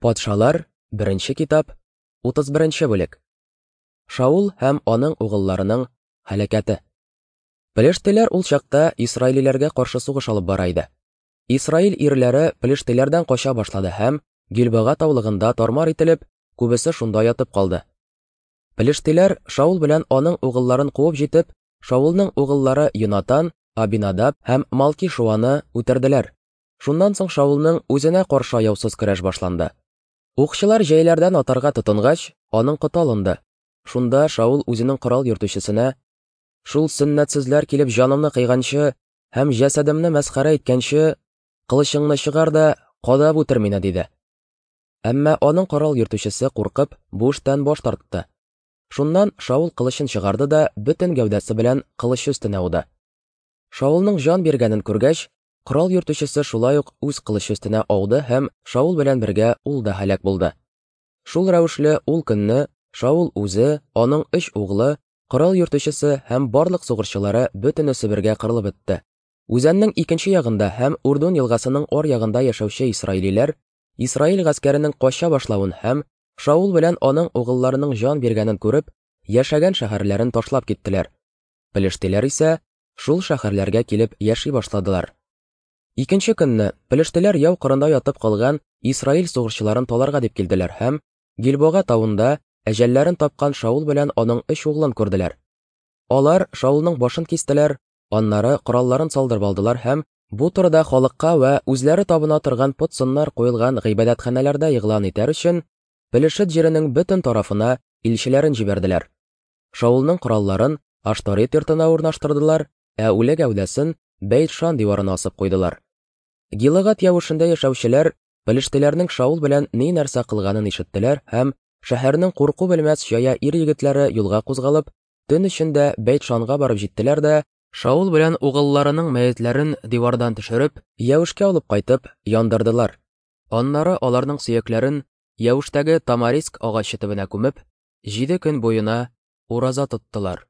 Патшалар, беренче китап, 31 бүлек. Шаул һәм аның угылларының һәлакәте. Пелештиләр ул чакта исраилиләргә каршы сугыш алып бара иде. Исраил ирләре пелештиләрдән кача башлады һәм Гилбага таулыгында тармар ителеп, күбесе шунда ятып калды. Пелештиләр Шаул белән аның угылларын куып җитеп, Шаулның угыллары Йонатан, Абинадаб һәм Малки-Шуаны үтерделәр. Шуннан соң Шаулның үзенә каршы аяусыз көрәш башланды. Укчылар җәйләрдән атарга тотынгач, аның коты алынды. Шунда Шаул үзенең корал йөртүчесенә: "Шул сөннәтсезләр килеп җанымны кыйганчы һәм җәсәдемне мәсхәрә иткәнче, кылычыңны чыгар да кадап үтер мине", диде. Әмма аның корал йөртүчесе куркып, бу эштән баш тартты. Шуннан Шаул кылычын чыгарды да бөтен гәүдәсе белән кылычы өстенә ауды. Шаулның җан биргәнен күргәч, корал йөртүчесе шулай ук үз кылычы өстенә ауды һәм Шаул белән бергә ул да һәлак булды. Шул рәвешле ул көнне Шаул үзе, аның өч углы, корал йөртүчесе һәм барлык сугышчылары бөтенесе бергә кырылып бетте. Үзәннең икенче ягында һәм Урдун елгасының ар ягында яшәүче исраилиләр Исраил гаскәренең кача башлавын һәм Шаул белән аның угылларының җан биргәнен күреп, яшәгән шәһәрләрен ташлап киттеләр. Пелештиләр исә шул шәһәрләргә килеп яши башладылар. Икенче көнне пелештиләр яу кырында ятып калган Исраил сугышчыларын таларга дип килделәр һәм Гилбога тавында әҗәлләрен тапкан Шаул белән аның өч углын күрделәр. Алар Шаулның башын кистеләр, аннары коралларын салдырып алдылар һәм бу турыда халыкка вә үзләре табына торган пот-сыннар куелган гыйбадәтханәләрдә игълан итәр өчен Пелешет җиренең бөтен тарафына илчеләрен җибәрделәр. Шаулның коралларын Ашторет йортына урнаштырдылар, ә үле гәүдәсен Бәйт-Шан диварына асып куйдылар. Гилыгат явышында яшәүчеләр пелештиләрнең Шаул белән ни нәрсә кылганын ишеттеләр һәм шәһәрнең курку белмәс җая ир-егетләре юлга кузгалып, төн эчендә Бәйт-Шанга барып җиттеләр дә, Шаул белән угылларының мәетләрен дивардан төшереп, Яүшкә алып кайтып, яндырдылар. Аннары аларның сөякләрен Яүштәге тамариск агачы төбенә күмеп, җиде көн буена ураза тоттылар.